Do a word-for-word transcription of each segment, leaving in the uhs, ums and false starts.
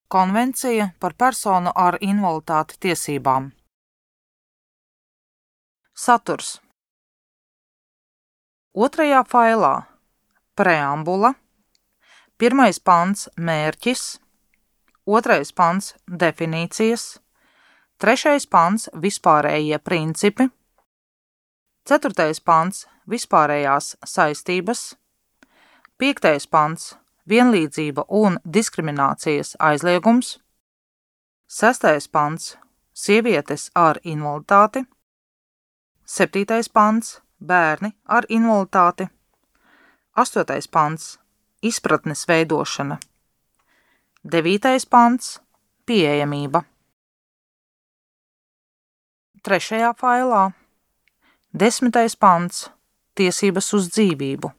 Konvencija par personu ar invaliditāti tiesībām. Saturs. Otrajā failā preambula, pirmais pants mērķis, otrais pants definīcijas, trešais pants vispārējie principi, ceturtais pants vispārējās saistības, piektais pants vienlīdzība un diskriminācijas aizliegums, sestais pants sievietes ar invaliditāti, septītais pants bērni ar invaliditāti, astotais pants izpratnes veidošana, devītais pants pieejamība. Trešajā failā desmitais pants tiesības uz dzīvību,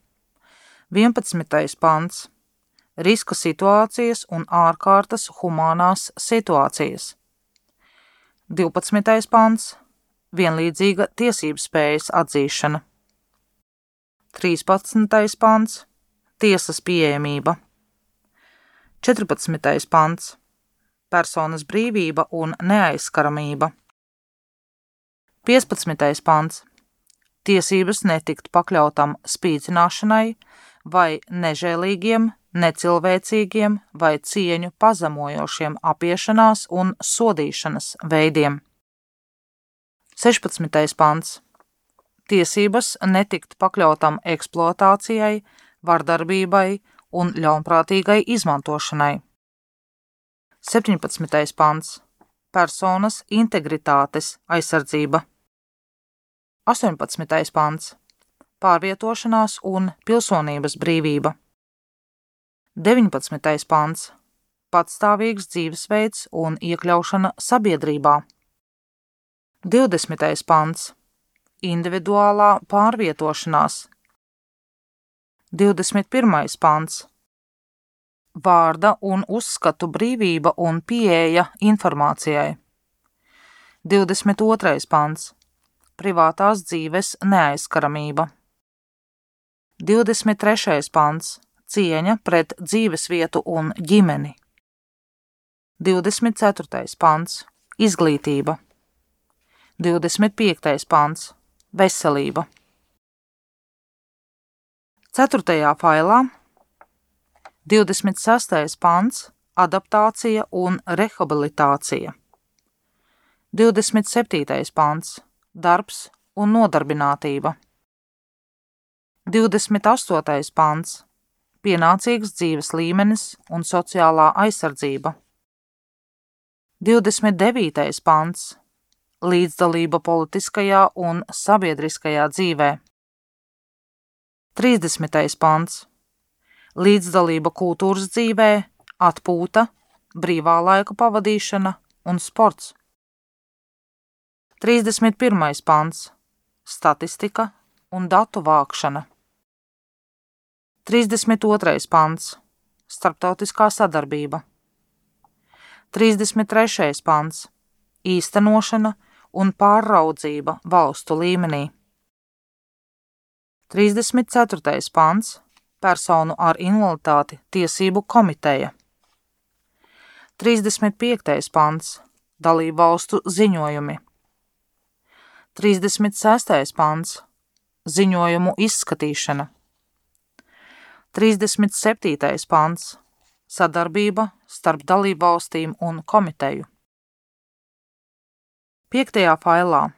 vienpadsmitais pants riska situācijas un ārkārtas humānās situācijas, divpadsmitais pants vienlīdzīga tiesībspējas atzīšana, trīspadsmitais pants tiesas pieejamība, četrpadsmitais pants personas brīvība un neaizskaramība, piecpadsmitais pants tiesības netikt pakļautam spīdzināšanai vai nežēlīgiem, necilvēcīgiem vai cieņu pazemojošiem apiešanās un sodīšanas veidiem. sešpadsmitais pants tiesības netikt pakļautam eksploatācijai, vardarbībai un ļaunprātīgai izmantošanai. septiņpadsmitais pants personas integritātes aizsardzība. astoņpadsmitais pants pārvietošanās un pilsonības brīvība. deviņpadsmitais pants patstāvīgs dzīvesveids un iekļaušana sabiedrībā. divdesmitais pants individuālā pārvietošanās. divdesmit pirmais pants vārda un uzskatu brīvība un pieeja informācijai. divdesmit otrais pants privātās dzīves neaizskaramība. divdesmit trešais pants cieņa pret dzīvesvietu un ģimeni. divdesmit ceturtais pants izglītība. divdesmit piektais pants veselība. ceturtajā failā divdesmit sestais pants adaptācija un rehabilitācija. divdesmit septītais pants darbs un nodarbinātība. divdesmit astotais pants pienācīgs dzīves līmenis un sociālā aizsardzība. divdesmit devītais pants līdzdalība politiskajā un sabiedriskajā dzīvē. trīsdesmitais pants līdzdalība kultūras dzīvē, atpūta, brīvā laika pavadīšana un sports. trīsdesmit pirmais pants statistika un datu vākšana. trīsdesmit otrais pants starptautiskā sadarbība. trīsdesmit trešais pants īstenošana un pārraudzība valstu līmenī. trīsdesmit ceturtais pants personu ar invaliditāti tiesību komiteja. trīsdesmit piektais pants dalību valstu ziņojumi. trīsdesmit sestais pants ziņojumu izskatīšana. trīsdesmit septītais pants sadarbība starp dalību valstīm un komiteju. piektajā failā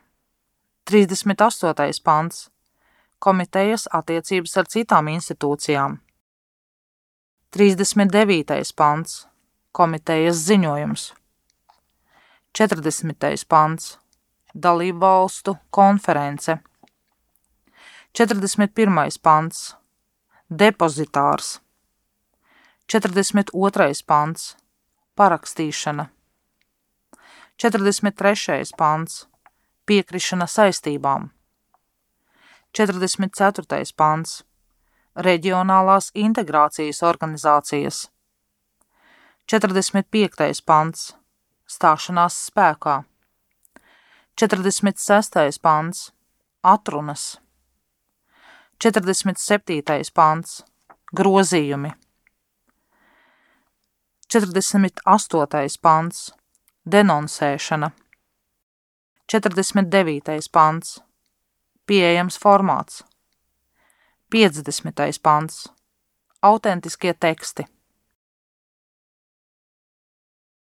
trīsdesmit astotais pants komitejas attiecības ar citām institūcijām. trīsdesmit devītais pants komitejas ziņojums. četrdesmitais pants dalību valstu konference. četrdesmit pirmais pants depozitārs. četrdesmit otrais pants parakstīšana. četrdesmit trešais pants piekrišana saistībām. četrdesmit ceturtais pants reģionālās integrācijas organizācijas. četrdesmit piektais pants stāšanās spēkā. četrdesmit sestais pants atrunas. četrdesmit septītais pants grozījumi. četrdesmit astotais pants. Denonsēšana. četrdesmit devītais pants. Pieejams formāts. piecdesmitais pants. Autentiskie teksti.